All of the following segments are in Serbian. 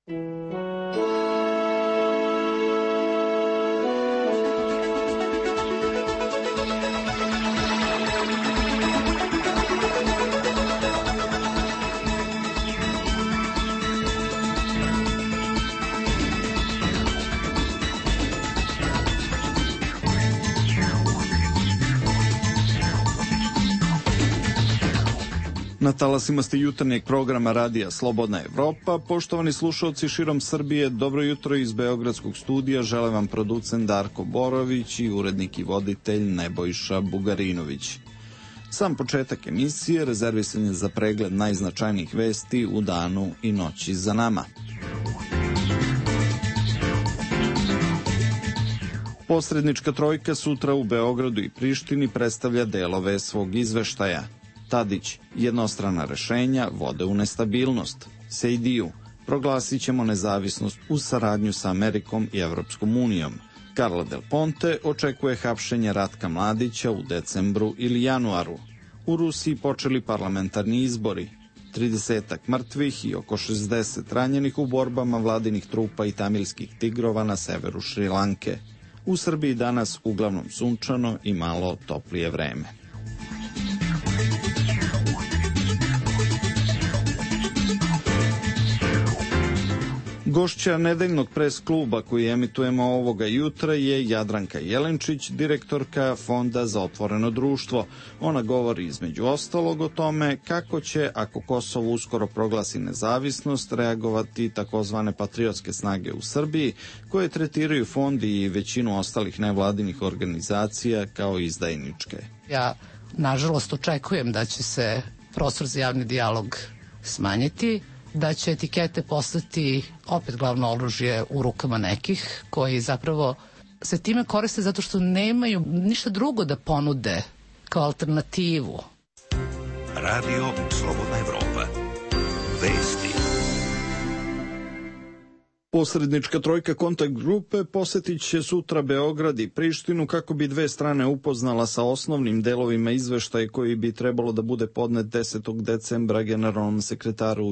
Na talasima ste jutarnjeg programa Radija Slobodna Evropa. Poštovani slušalci širom Srbije, dobro jutro iz Beogradskog studija. Žele vam producent Darko Borović i urednik i voditelj Nebojša Bugarinović. Sam početak emisije rezervisan je za pregled najznačajnijih vesti u danu i noći za nama. Posrednička trojka sutra u Beogradu i Prištini predstavlja delove svog izveštaja. Tadić, jednostrana rešenja vode u nestabilnost. Sejdiju, proglasit ćemo nezavisnost uz saradnju sa Amerikom i Evropskom unijom. Carla Del Ponte očekuje hapšenje Ratka Mladića u decembru ili januaru. U Rusiji počeli parlamentarni izbori. 30 mrtvih i oko 60 ranjenih u borbama vladinih trupa i tamilskih tigrova na severu Šrilanke. U Srbiji danas uglavnom sunčano i malo toplije vreme. Gošća nedeljnog pres kluba koji emitujemo ovoga jutra je Jadranka Jelenčić, direktorka Fonda za otvoreno društvo. Ona govori između ostalog o tome kako će, ako Kosovo uskoro proglasi nezavisnost, reagovati takozvane patriotske snage u Srbiji, koje tretiraju fond i većinu ostalih nevladinih organizacija kao izdajničke. Ja, nažalost, očekujem da će se prostor za javni dijalog smanjiti, da će etikete postati opet glavno oružje u rukama nekih koji zapravo se time koriste zato što nemaju ništa drugo da ponude kao alternativu. Radio Slobodna Evropa. Vesti. Posrednička trojka kontakt grupe posetit će sutra Beograd i Prištinu kako bi dve strane upoznala sa osnovnim delovima izveštaja koji bi trebalo da bude podnet 10. decembra generalnom sekretaru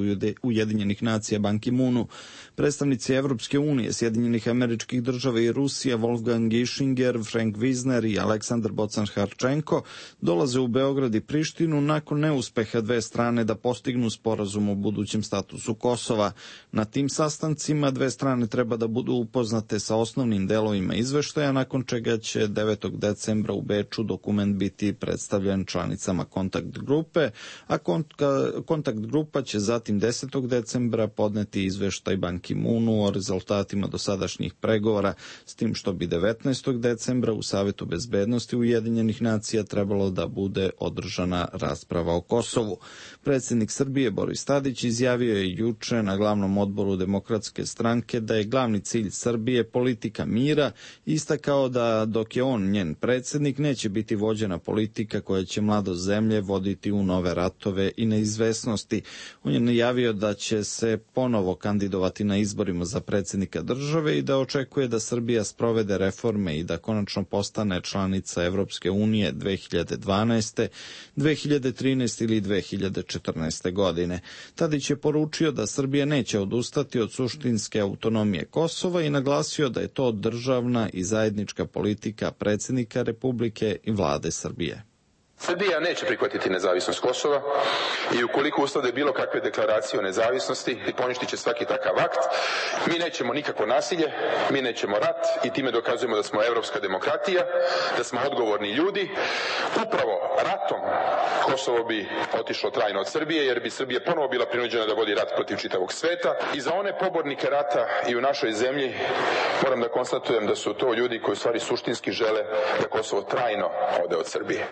Ujedinjenih nacija Ban Ki-moonu. Predstavnici Evropske unije, Sjedinjenih Američkih Država i Rusije Wolfgang Ischinger, Frank Wisner i Aleksandar Bocan-Harčenko dolaze u Beograd i Prištinu nakon neuspeha dve strane da postignu sporazum o budućem statusu Kosova. Na tim sastancima dve strane treba da budu upoznate sa osnovnim delovima izveštaja, nakon čega će 9. decembra u Beču dokument biti predstavljen članicama kontakt grupe, a kontakt grupa će zatim 10. decembra podneti izveštaj Ban Ki-moonu o rezultatima dosadašnjih pregovora, s tim što bi 19. decembra u Savetu bezbednosti Ujedinjenih nacija trebalo da bude održana rasprava o Kosovu. Predsjednik Srbije Boris Tadić izjavio je juče na glavnom odboru Demokratske stranke da je glavni cilj Srbije politika mira, istakao da dok je on njen predsjednik neće biti vođena politika koja će mladost zemlje voditi u nove ratove i neizvesnosti. On je najavio da će se ponovo kandidovati na izborima za predsjednika države i da očekuje da Srbija sprovede reforme i da konačno postane članica Evropske unije 2012., 2013. ili 2014. godine. Tadić je poručio da Srbija neće odustati od suštinske autonomije Kosova i naglasio da je to državna i zajednička politika predsjednika Republike i vlade Srbije. Srbija neće prihvatiti nezavisnost Kosova i ukoliko uslede bilo kakve deklaracije o nezavisnosti poništit će svaki takav akt. Mi nećemo nikakvo nasilje, mi nećemo rat i time dokazujemo da smo evropska demokratija, da smo odgovorni ljudi. Upravo ratom Kosovo bi otišlo trajno od Srbije, jer bi Srbija ponovo bila prinuđena da vodi rat protiv čitavog sveta. I za one pobornike rata i u našoj zemlji moram da konstatujem da su to ljudi koji u stvari suštinski žele da Kosovo trajno ode od Srbije.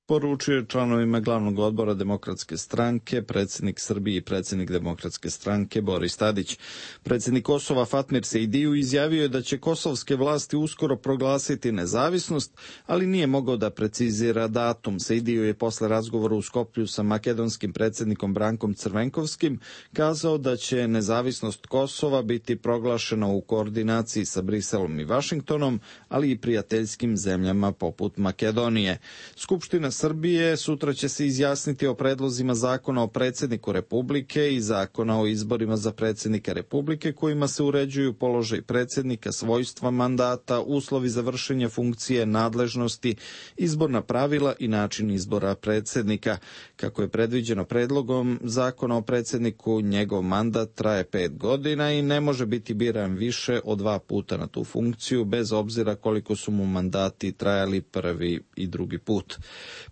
Poručio je članovima glavnog odbora Demokratske stranke, predsjednik Srbije i predsjednik Demokratske stranke Boris Tadić. Predsjednik Kosova Fatmir Sejdiju izjavio je da će kosovske vlasti uskoro proglasiti nezavisnost, ali nije mogao da precizira datum. Sejdiju je posle razgovora u Skoplju sa makedonskim predsjednikom Brankom Crvenkovskim kazao da će nezavisnost Kosova biti proglašena u koordinaciji sa Briselom i Vašingtonom, ali i prijateljskim zemljama poput Makedonije. Skupština Srbije sutra će se izjasniti o predlozima zakona o predsjedniku Republike i zakona o izborima za predsjednika Republike kojima se uređuju položaj predsjednika, svojstva mandata, uslovi za vršenje funkcije, nadležnosti, izborna pravila i način izbora predsjednika. Kako je predviđeno predlogom zakona o predsjedniku, njegov mandat traje 5 godina i ne može biti biran više od 2 puta na tu funkciju, bez obzira koliko su mu mandati trajali prvi i drugi put.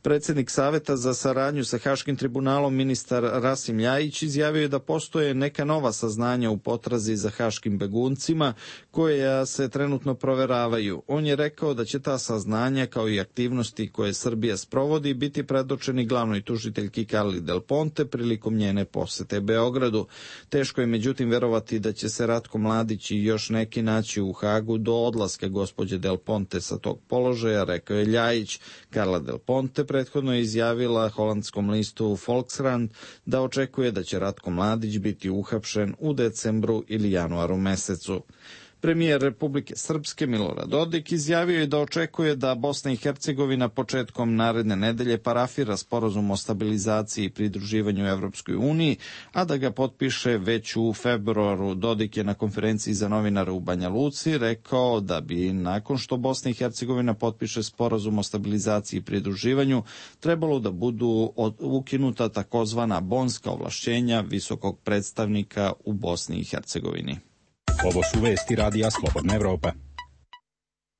Predsjednik Saveta za saradnju sa Haškim tribunalom, ministar Rasim Ljajić, izjavio je da postoje neka nova saznanja u potrazi za haškim beguncima koja se trenutno proveravaju. On je rekao da će ta saznanja kao i aktivnosti koje Srbija sprovodi biti predočeni glavnoj tužiteljki Carli Del Ponte prilikom njene posete Beogradu. Teško je međutim verovati da će se Ratko Mladić i još neki naći u Hagu do odlaska gospođe Del Ponte sa tog položaja, rekao je Ljajić. Carla Del Ponte prethodno je izjavila holandskom listu Volkskrant da očekuje da će Ratko Mladić biti uhapšen u decembru ili januaru mesecu. Premijer Republike Srpske Milorad Dodik izjavio je da očekuje da Bosna i Hercegovina početkom naredne nedelje parafira sporazum o stabilizaciji i pridruživanju Evropskoj uniji, a da ga potpiše već u februaru. Dodik je na konferenciji za novinare u Banja Luci rekao da bi nakon što Bosna i Hercegovina potpiše sporazum o stabilizaciji i pridruživanju trebalo da budu ukinuta takozvana bonska ovlašćenja visokog predstavnika u Bosni i Hercegovini. Ovo su vesti Radija Slobodna Evropa.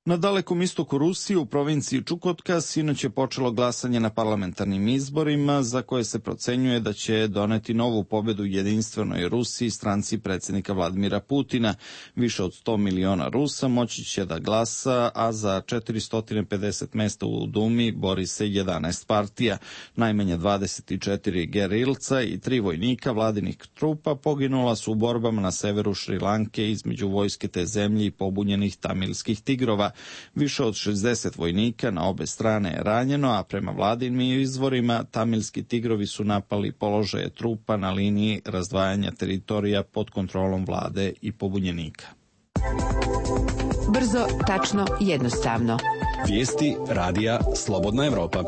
Na dalekom istoku Rusije, u provinciji Čukotka, sinoć je počelo glasanje na parlamentarnim izborima za koje se procenjuje da će doneti novu pobedu jedinstvenoj Rusiji, stranci predsjednika Vladimira Putina. Više od 100 miliona Rusa moći će da glasa, a za 450 mesta u Dumi bori se 11 partija. Najmanje 24 gerilca i 3 vojnika vladinih trupa poginula su u borbama na severu Šrilanke između vojske te zemlje i pobunjenih tamilskih tigrova. Više od 60 vojnika na obe strane je ranjeno, a prema vladinim izvorima tamilski tigrovi su napali položaje trupa na liniji razdvajanja teritorija pod kontrolom vlade i pobunjenika. Brzo, tačno, jednostavno. Vijesti Radija Slobodna Evropa.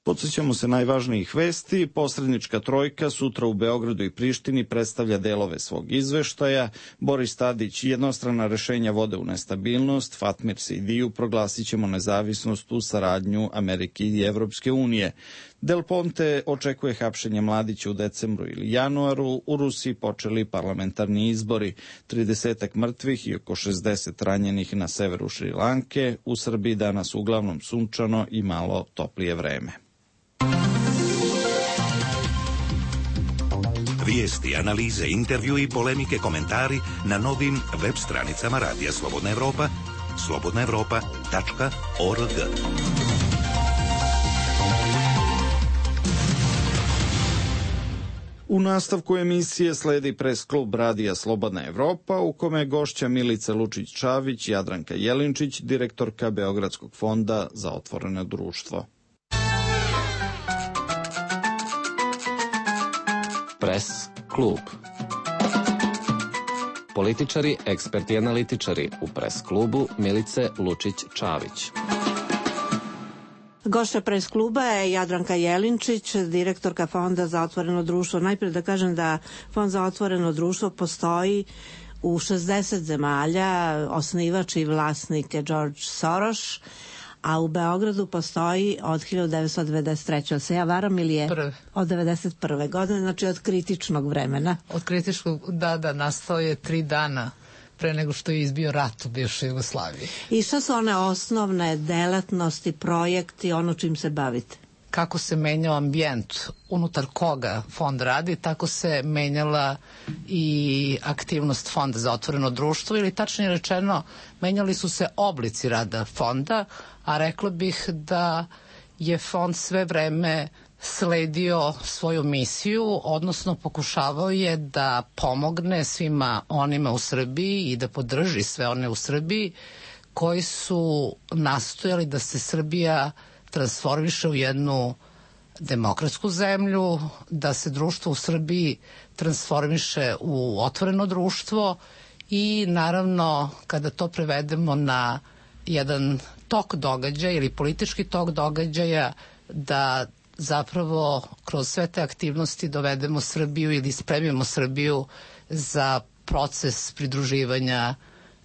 Podsjećamo se najvažnijih vesti. Posrednička trojka sutra u Beogradu i Prištini predstavlja delove svog izveštaja. Boris Tadić jednostrana rešenja vode u nestabilnost. Fatmir Sejdiju proglasit ćemo nezavisnost u saradnju Amerike i Evropske unije. Del Ponte očekuje hapšenje Mladića u decembru ili januaru. U Rusiji počeli parlamentarni izbori. 30 mrtvih i oko 60 ranjenih na severu Šrilanke. U Srbiji danas uglavnom sunčano i malo toplije vreme. Vijesti, analize, intervju i polemike, komentari na novim web stranicama Radija Slobodna Evropa, slobodnaevropa.org. U nastavku emisije sledi pres klub Radija Slobodna Evropa, u kome je gošća Milica Lučić-Čavić, Jadranka Jelinčić, direktorka Beogradskog fonda za otvoreno društvo. Pres klub. Političari, eksperti i analitičari u pres klubu Milice Lučić-Čavić. Gošća pres kluba je Jadranka Jelinčić, direktorka Fonda za otvoreno društvo. Najprije da kažem da Fond za otvoreno društvo postoji u 60 zemalja, osnivač i vlasnik je George Soros, a u Beogradu postoji od 1993. Se ja varam ili je? Od 1991. godine, znači od kritičnog vremena. Od kritičkog, da, nastao je 3 dana pre nego što je izbio rat u bivšoj Jugoslaviji. I šta su one osnovne delatnosti, projekti, ono čim se bavite? Kako se menjao ambijent unutar koga fond radi, tako se menjala i aktivnost Fonda za otvoreno društvo, ili tačnije rečeno, menjali su se oblici rada fonda, a rekla bih da je fond sve vreme sledio svoju misiju, odnosno pokušavao je da pomogne svima onima u Srbiji i da podrži sve one u Srbiji koji su nastojali da se Srbija transformiše u jednu demokratsku zemlju, da se društvo u Srbiji transformiše u otvoreno društvo i naravno kada to prevedemo na jedan tok događaja ili politički tok događaja, da zapravo kroz sve te aktivnosti dovedemo Srbiju ili spremimo Srbiju za proces pridruživanja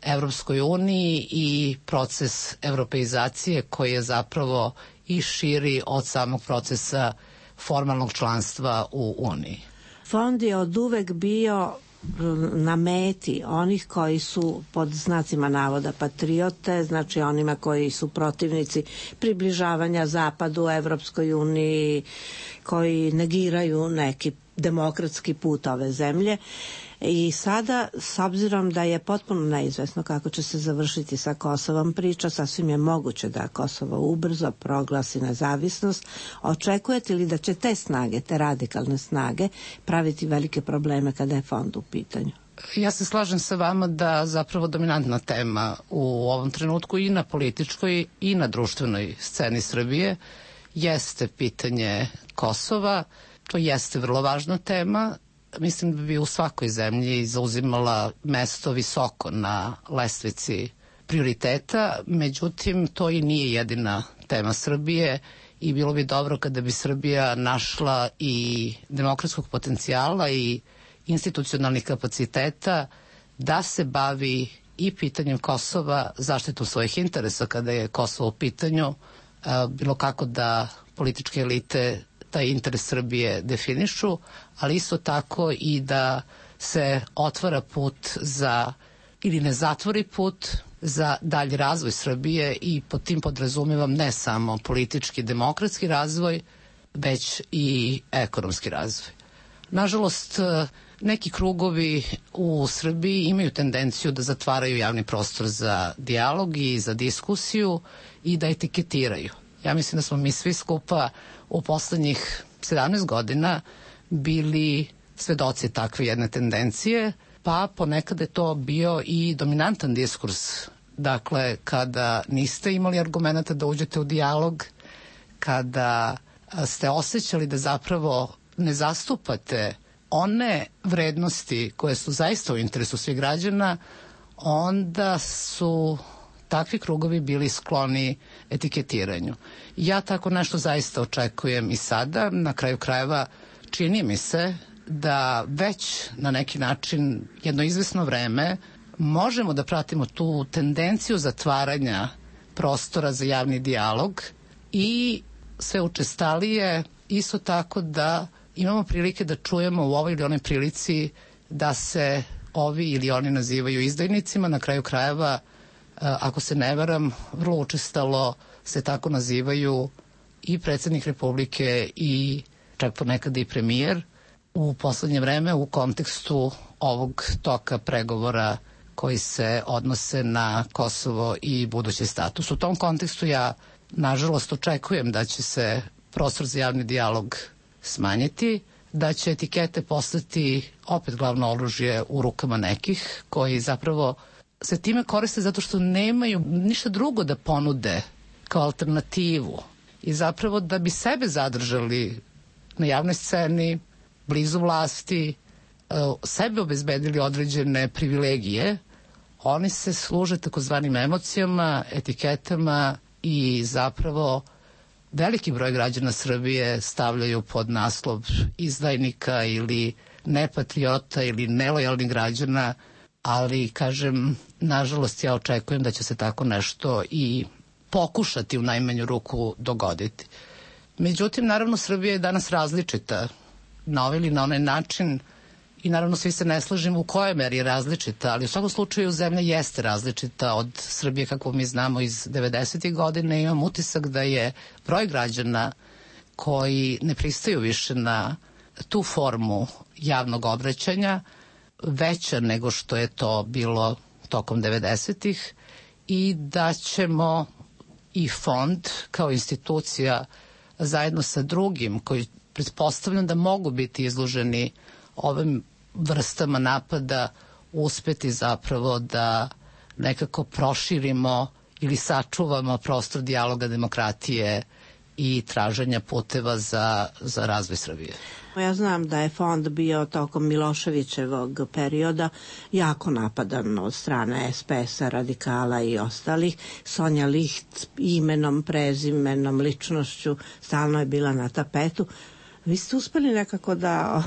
Evropskoj uniji i proces evropeizacije koji je zapravo i širi od samog procesa formalnog članstva u Uniji. Fond je od uvek bio na meti onih koji su pod znacima navoda patriote, znači onima koji su protivnici približavanja Zapadu, Evropskoj uniji, koji negiraju neki demokratski put ove zemlje. I sada, s obzirom da je potpuno neizvesno kako će se završiti sa Kosovom priča, sasvim je moguće da Kosovo ubrzo proglasi nezavisnost. Očekujete li da će te snage, te radikalne snage, praviti velike probleme kada je fond u pitanju? Ja se slažem sa vama da zapravo dominantna tema u ovom trenutku i na političkoj i na društvenoj sceni Srbije jeste pitanje Kosova. To jeste vrlo važna tema. Mislim da bi u svakoj zemlji zauzimala mesto visoko na lestvici prioriteta, međutim to i nije jedina tema Srbije i bilo bi dobro kada bi Srbija našla i demokratskog potencijala i institucionalnih kapaciteta da se bavi i pitanjem Kosova, zaštitom svojih interesa kada je Kosovo u pitanju, bilo kako da političke elite taj interes Srbije definišu, ali isto tako i da se otvara put za, ili ne zatvori put za dalji razvoj Srbije i pod tim podrazumevam ne samo politički, demokratski razvoj, već i ekonomski razvoj. Nažalost, neki krugovi u Srbiji imaju tendenciju da zatvaraju javni prostor za dijalog i za diskusiju i da etiketiraju. Ja mislim da smo mi svi skupa u poslednjih 17 godina bili svedoci takve jedne tendencije, pa ponekad je to bio i dominantan diskurs. Dakle, kada niste imali argumenta da uđete u dijalog, kada ste osjećali da zapravo ne zastupate one vrednosti koje su zaista u interesu svih građana, onda su takvi krugovi bili skloni etiketiranju. Ja tako nešto zaista očekujem i sada. Na kraju krajeva čini mi se da već na neki način jedno izvesno vreme možemo da pratimo tu tendenciju zatvaranja prostora za javni dijalog i sve učestalije isto tako da imamo prilike da čujemo u ovoj ili onoj prilici da se ovi ili oni nazivaju izdajnicima. Na kraju krajeva, ako se ne varam, vrlo učestalo se tako nazivaju i predsednik Republike i čak ponekad i premijer u poslednje vreme u kontekstu ovog toka pregovora koji se odnose na Kosovo i budući status. U tom kontekstu ja, nažalost, očekujem da će se prostor za javni dijalog smanjiti, da će etikete postati opet glavno oružje u rukama nekih koji zapravo se time koriste zato što nemaju ništa drugo da ponude kao alternativu i zapravo da bi sebe zadržali na javnoj sceni, blizu vlasti, sebe obezbedili određene privilegije, oni se služe takozvanim emocijama, etiketama i zapravo veliki broj građana Srbije stavljaju pod naslov izdajnika ili nepatriota ili nelojalnih građana, ali kažem, nažalost ja očekujem da će se tako nešto i pokušati u najmanju ruku dogoditi. Međutim, naravno, Srbija je danas različita na ovaj ili na onaj način i naravno svi se ne slažemo u kojoj meri je različita, ali u svakom slučaju zemlja jeste različita od Srbije kako mi znamo iz 90. godine. Imam utisak da je broj građana koji ne pristaju više na tu formu javnog obraćanja veća nego što je to bilo tokom 90-ih i da ćemo i fond kao institucija zajedno sa drugim koji pretpostavljam da mogu biti izloženi ovim vrstama napada uspeti zapravo da nekako proširimo ili sačuvamo prostor dijaloga, demokratije i traženja puteva za razvoj Srbije. Ja znam da je fond bio tokom Miloševićevog perioda jako napadan od strane SPS-a, radikala i ostalih. Sonja Liht imenom, prezimenom, ličnošću stalno je bila na tapetu. Vi ste uspeli nekako da,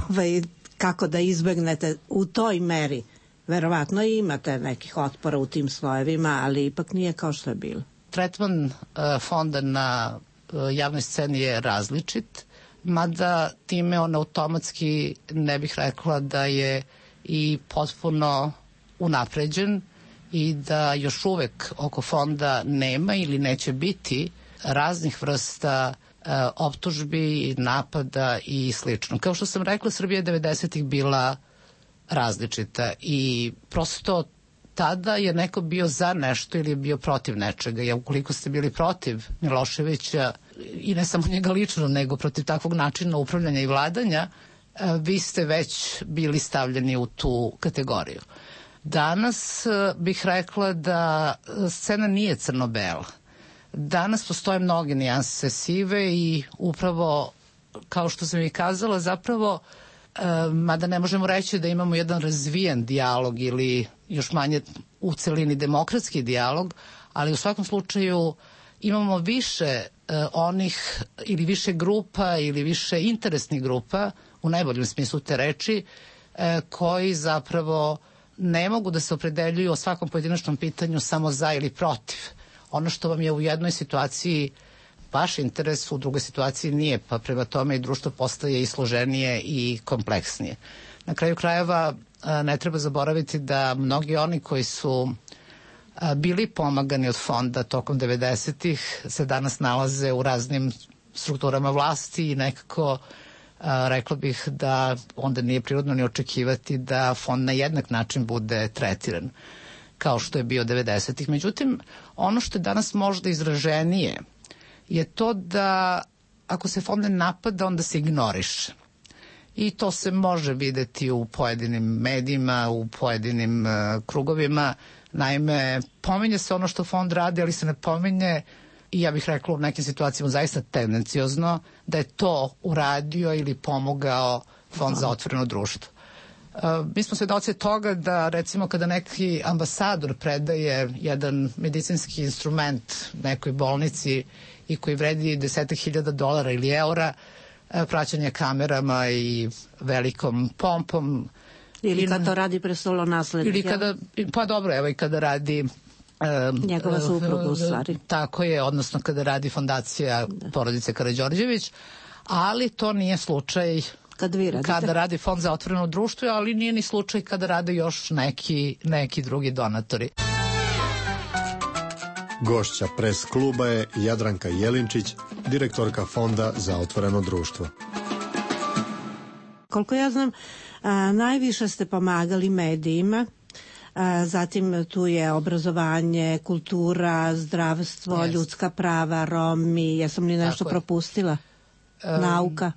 kako da izbegnete u toj meri? Verovatno imate nekih otpora u tim slojevima, ali ipak nije kao što je bilo. Tretman fonda na javnoj sceni je različit, mada time on automatski ne bih rekla da je i potpuno unapređen i da još uvek oko fonda nema ili neće biti raznih vrsta optužbi, napada i slično. Kao što sam rekla, Srbija je 90-ih bila različita i prosto tada je neko bio za nešto ili je bio protiv nečega. Ja, ukoliko ste bili protiv Miloševića i ne samo njega lično, nego protiv takvog načina upravljanja i vladanja, vi ste već bili stavljeni u tu kategoriju. Danas bih rekla da scena nije crno-bela. Danas postoje mnoge nijanse sive i upravo, kao što sam i kazala, zapravo, mada ne možemo reći da imamo jedan razvijen dijalog ili još manje u celini demokratski dijalog, ali u svakom slučaju imamo više onih ili više grupa ili više interesnih grupa, u najboljem smislu te reči, koji zapravo ne mogu da se opredeljuju o svakom pojedinačnom pitanju samo za ili protiv. Ono što vam je u jednoj situaciji vaš interes, u drugoj situaciji nije, pa prema tome i društvo postaje i složenije i kompleksnije. Na kraju krajeva ne treba zaboraviti da mnogi oni koji su bili pomagani od fonda tokom 90-ih se danas nalaze u raznim strukturama vlasti i nekako rekla bih da onda nije prirodno ni očekivati da fond na jednak način bude tretiran kao što je bio 90-ih. Međutim, ono što je danas možda izraženije je to da ako se fond ne napada, onda se ignoriše. I to se može videti u pojedinim medijima, u pojedinim krugovima. Naime, pominje se ono što fond radi, ali se ne pominje, i ja bih rekla u nekim situacijama zaista tendenciozno, da je to uradio ili pomogao Fond za otvoreno društvo. Mi smo svedoci toga da recimo kada neki ambasador predaje jedan medicinski instrument nekoj bolnici i koji vredi $10.000 ili eura, praćanje kamerama i velikom pompom. Ili kada to radi prestolonaslednik. Ili kada, pa dobro, evo i kada radi njegova supruga u stvari. Tako je, odnosno kada radi fondacija porodice Karađorđević, ali to nije slučaj kada radi Fond za otvoreno društvo, ali nije ni slučaj kada rade još neki drugi donatori. Gošća pres kluba je Jadranka Jelinčić, direktorka Fonda za otvoreno društvo. Koliko ja znam, najviše ste pomagali medijima, zatim tu je obrazovanje, kultura, zdravstvo, ljudska prava, Romi, jesam li nešto propustila? Nauka?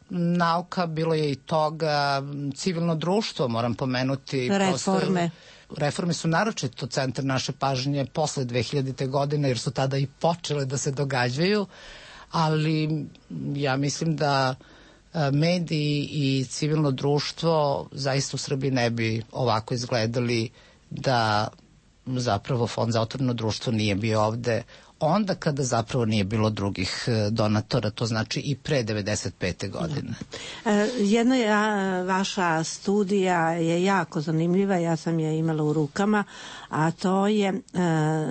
Nauka, bilo je i toga, civilno društvo, moram pomenuti. Reforme. Reforme su naročito centar naše pažnje posle 2000. godine, jer su tada i počele da se događaju, ali ja mislim da mediji i civilno društvo zaista u Srbiji ne bi ovako izgledali da zapravo Fond za otvoreno društvo nije bio ovde onda kada zapravo nije bilo drugih donatora, to znači i pre 95. godine. Jedna vaša studija je jako zanimljiva, ja sam je imala u rukama, a to je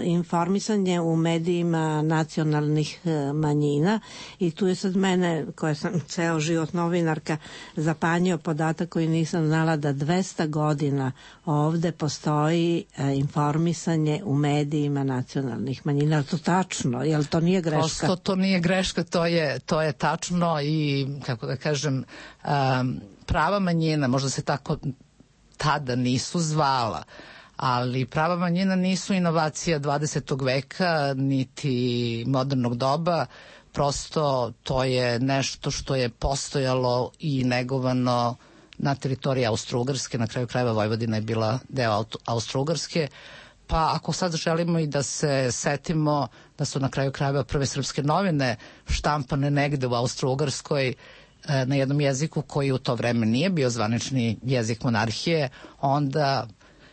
informisanje u medijima nacionalnih manjina i tu je sad mene, koja sam ceo život novinarka, zapanjio podatak koji nisam znala, da 200 godina ovde postoji informisanje u medijima nacionalnih manjina. To tačno, jel to nije greška? Prosto to nije greška, to je tačno i, kako da kažem, prava manjina, možda se tako tada nisu zvala, ali prava manjina nisu inovacija 20. veka niti modernog doba, prosto to je nešto što je postojalo i negovano na teritoriji Austro-Ugarske, na kraju krajeva Vojvodina je bila deo Austro-Ugarske, Pa ako sad želimo i da se setimo da su na kraju krajeva prve srpske novine štampane negde u Austro-Ugarskoj na jednom jeziku koji u to vreme nije bio zvanični jezik monarhije, onda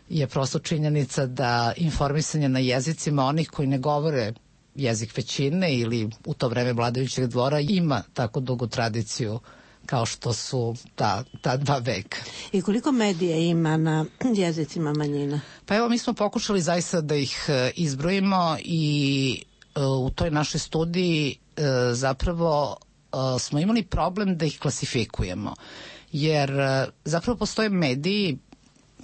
je prosto činjenica da informisanje na jezicima onih koji ne govore jezik većine ili u to vreme vladajućeg dvora ima tako dugu tradiciju kao što su ta 2 veka. I koliko medija ima na jezicima manjina? Pa evo, mi smo pokušali zaista da ih izbrojimo i u toj našoj studiji zapravo smo imali problem da ih klasifikujemo. Jer zapravo postoje mediji,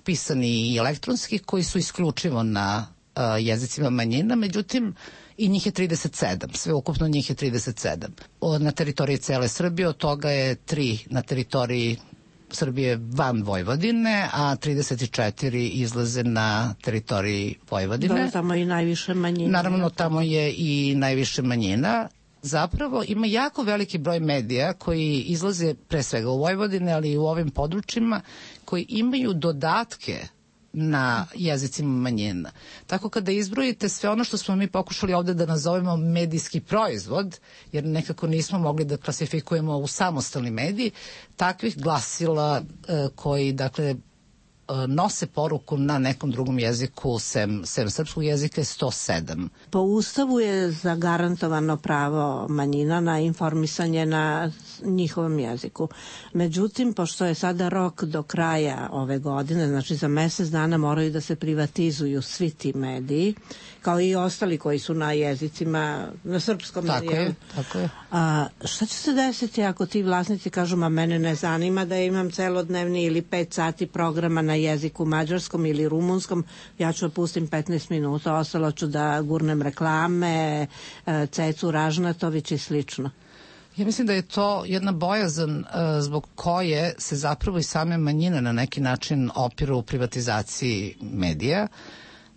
pisani i elektronski, koji su isključivo na jezicima manjina, međutim i njih je 37, sve ukupno njih je 37. Na teritoriji cele Srbije, od toga je 3 na teritoriji Srbije van Vojvodine, a 34 izlaze na teritoriji Vojvodine. Da, tamo je i najviše manjina. Naravno, tamo je i najviše manjina. Zapravo ima jako veliki broj medija koji izlaze pre svega u Vojvodine, ali i u ovim područjima, koji imaju dodatke na jezicima manjina. Tako kada izbrojite sve ono što smo mi pokušali ovde da nazovemo medijski proizvod, jer nekako nismo mogli da klasifikujemo u samostalni mediji, takvih glasila koji, dakle, nose poruku na nekom drugom jeziku sem srpskog jezika je 107. Po Ustavu je zagarantovano pravo manjina na informisanje na njihovom jeziku. Međutim, pošto je sada rok do kraja ove godine, znači za mesec dana moraju da se privatizuju svi ti mediji, kao i ostali koji su na jezicima, na srpskom. Tako je. Šta će se desiti ako ti vlasnici kažu, ma mene ne zanima da imam celodnevni ili 5 sati programa na jeziku mađarskom ili rumunskom, ja ću da pustim 15 minuta, ostalo ću da gurnem reklame, Cecu Ražnatović i slično. Ja mislim da je to jedna bojazan zbog koje se zapravo i same manjine na neki način opiru u privatizaciji medija.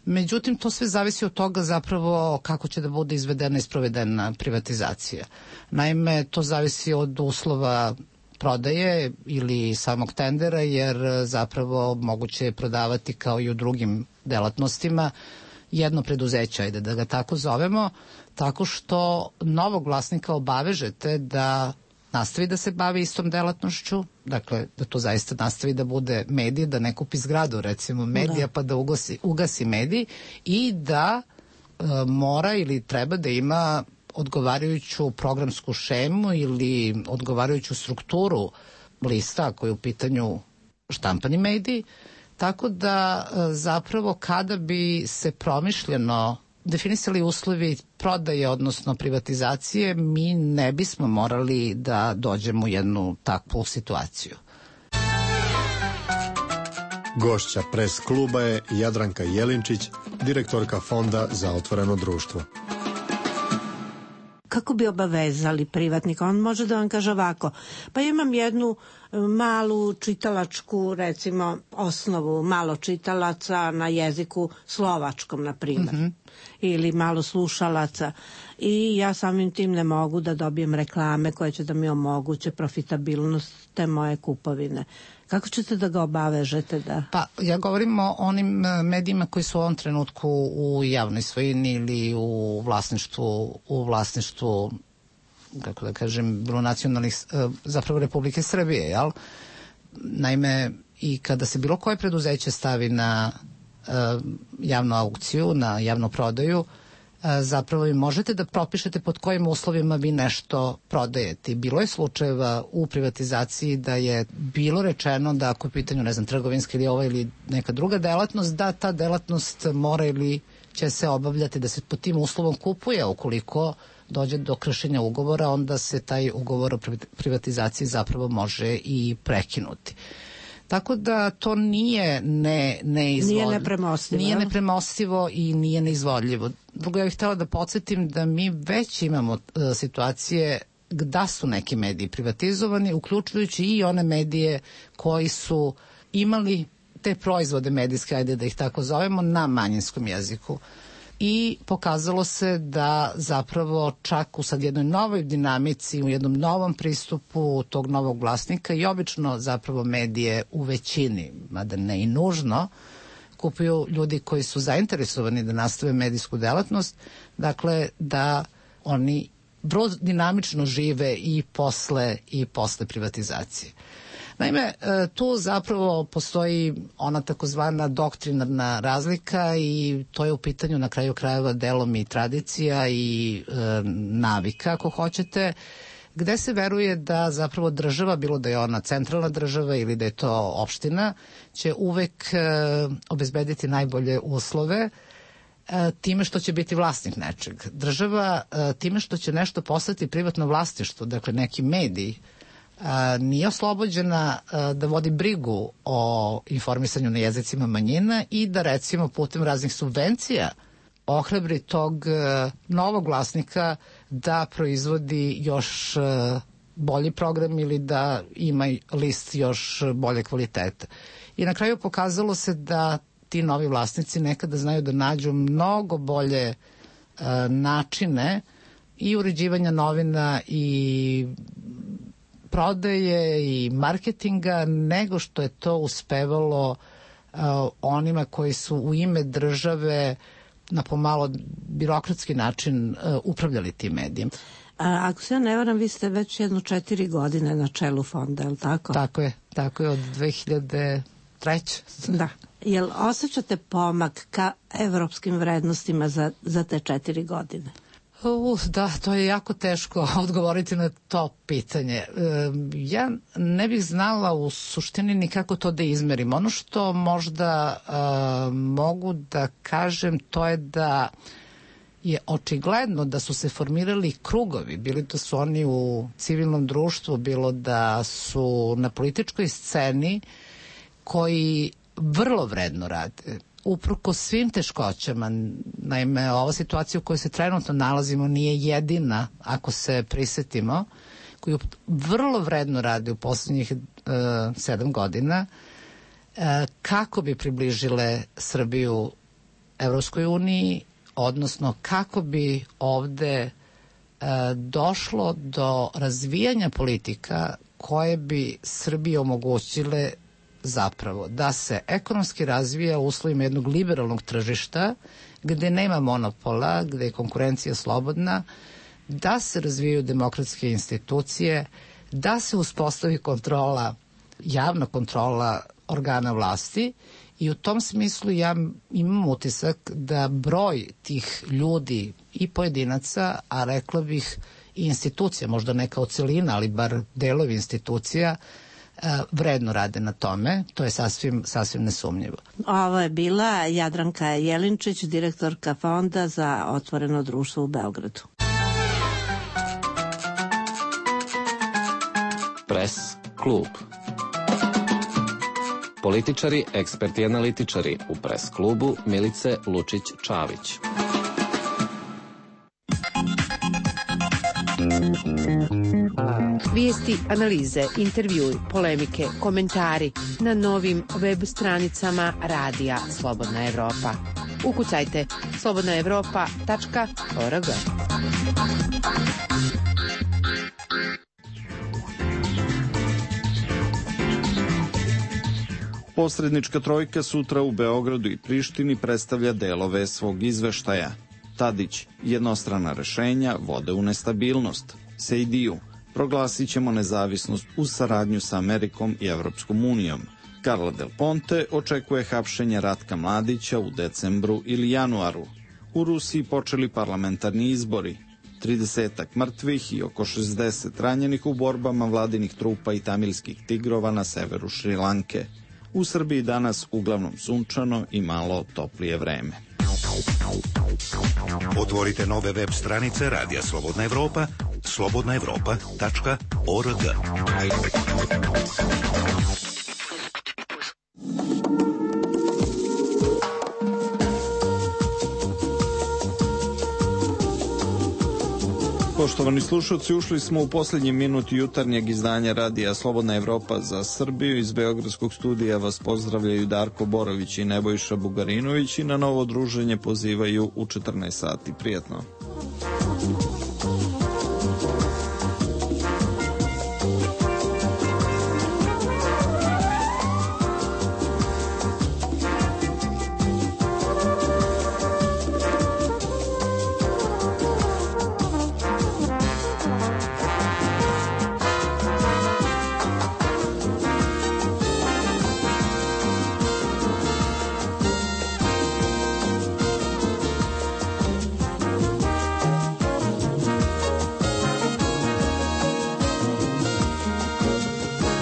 Međutim, to sve zavisi od toga zapravo kako će da bude izvedena i sprovedena privatizacija. Naime, to zavisi od uslova prodaje ili samog tendera, jer zapravo moguće je prodavati kao i u drugim delatnostima jedno preduzeće, ajde da ga tako zovemo, tako što novog vlasnika obavežete da nastavi da se bavi istom delatnošću, dakle da to zaista nastavi da bude medij, da ne kupi zgradu recimo medija pa da ugasi medij i da mora ili treba da ima odgovarajuću programsku šemu ili odgovarajuću strukturu lista ako je u pitanju štampani medij, tako da zapravo kada bi se promišljeno definisali uslovi prodaje, odnosno privatizacije, mi ne bismo morali da dođemo u jednu takvu situaciju. Gošća pres kluba je Jadranka Jelinčić, direktorka Fonda za otvoreno društvo. Kako bi obavezali privatnika? On može da vam kaže ovako, pa imam jednu malu čitalačku, recimo, osnovu, malo čitalaca na jeziku slovačkom, na primjer, ili malo slušalaca i ja samim tim ne mogu da dobijem reklame koje će da mi omoguće profitabilnost te moje kupovine. Kako ćete da ga obavežete da... Pa ja govorim o onim medijima koji su u ovom trenutku u javnoj svojini ili u vlasništvu kako da kažem, bilo nacionalnih, zapravo Republike Srbije, jel? Naime, i kada se bilo koje preduzeće stavi na javnu aukciju, na javnu prodaju, zapravo vi možete da propišete pod kojim uslovima vi nešto prodajete. Bilo je slučajeva u privatizaciji da je bilo rečeno da ako je pitanju, ne znam, trgovinska ili ova ili neka druga delatnost, da ta delatnost mora ili će se obavljati, da se pod tim uslovom kupuje. Ukoliko dođe do kršenja ugovora, onda se taj ugovor o privatizaciji zapravo može i prekinuti. Tako da to nije nepremostivo. Nije nepremostivo i nije neizvodljivo. Drugo, ja bih htjela da podsjetim da mi već imamo situacije da su neki mediji privatizovani, uključujući i one medije koji su imali te proizvode medijske, ajde da ih tako zovemo, na manjinskom jeziku. I pokazalo se da zapravo čak u sad jednoj novoj dinamici, u jednom novom pristupu tog novog vlasnika i obično zapravo medije u većini, mada ne i nužno, kupuju ljudi koji su zainteresovani da nastave medijsku delatnost, dakle da oni vrlo dinamično žive i posle privatizacije. Naime, tu zapravo postoji ona takozvana doktrinarna razlika i to je u pitanju na kraju krajeva delom i tradicija i navika, ako hoćete, gde se veruje da zapravo država, bilo da je ona centralna država ili da je to opština, će uvek obezbediti najbolje uslove time što će biti vlasnik nečeg. Država time što će nešto postati privatno vlasništvo, dakle neki medij, nije oslobođena da vodi brigu o informisanju na jezicima manjina i da recimo putem raznih subvencija ohrabri tog novog vlasnika da proizvodi još bolji program ili da ima list još bolje kvaliteta. I na kraju pokazalo se da ti novi vlasnici nekada znaju da nađu mnogo bolje načine i uređivanja novina i prodaje i marketinga nego što je to uspevalo onima koji su u ime države na pomalo birokratski način upravljali tim medijem. Ako se ja ne varam, vi ste već 4 godine na čelu fonda, je li tako? Tako je od 2003. Da. Jel osjećate pomak ka evropskim vrednostima za te 4 godine? Da, to je jako teško odgovoriti na to pitanje. Ja ne bih znala u suštini ni kako to da izmerim. Ono što možda mogu da kažem to je da je očigledno da su se formirali krugovi, bili da su oni u civilnom društvu, bilo da su na političkoj sceni, koji vrlo vredno rade. Uprkos svim teškoćama, naime, ova situacija u kojoj se trenutno nalazimo nije jedina, ako se prisetimo, koju vrlo vredno radi u poslednjih 7 godina, kako bi približile Srbiju Evropskoj uniji, odnosno kako bi ovde došlo do razvijanja politika koje bi Srbiji omogućile zapravo da se ekonomski razvija u uslovima jednog liberalnog tržišta gde nema monopola, gde je konkurencija slobodna, da se razvijaju demokratske institucije, da se uspostavi kontrola, javna kontrola organa vlasti i u tom smislu ja imam utisak da broj tih ljudi i pojedinaca, a rekla bih i institucija, možda neka celina, ali bar delovi institucija, vredno rade na tome, to je sasvim nesumnjivo. Ovo je bila Jadranka Jelinčić, direktorka Fonda za otvoreno društvo u Beogradu. Pres klub. Političari, eksperti i analitičari u Pres klubu Milice Lučić-Čavić. Vijesti, analize, intervjui, polemike, komentari na novim web stranicama Radija Slobodna Evropa. Ukucajte slobodnaevropa.org. Posrednička trojka sutra u Beogradu i Prištini predstavlja delove svog izveštaja. Tadić, jednostrana rešenja vode u nestabilnost. Sejdiju, proglasit ćemo nezavisnost uz saradnju sa Amerikom i Evropskom unijom. Carla Del Ponte očekuje hapšenje Ratka Mladića u decembru ili januaru. U Rusiji počeli parlamentarni izbori. 30 mrtvih i oko 60 ranjenih u borbama vladinih trupa i tamilskih tigrova na severu Šrilanke. U Srbiji danas uglavnom sunčano i malo toplije vreme. Otvorite nove web stranice Radija Slobodna Evropa, slobodnaevropa.org. Poštovani slušalci, ušli smo u posljednji minut jutarnjeg izdanja Radija Slobodna Evropa za Srbiju. Iz Beogradskog studija vas pozdravljaju Darko Borović i Nebojša Bugarinović i na novo druženje pozivaju u 14 sati. Prijetno.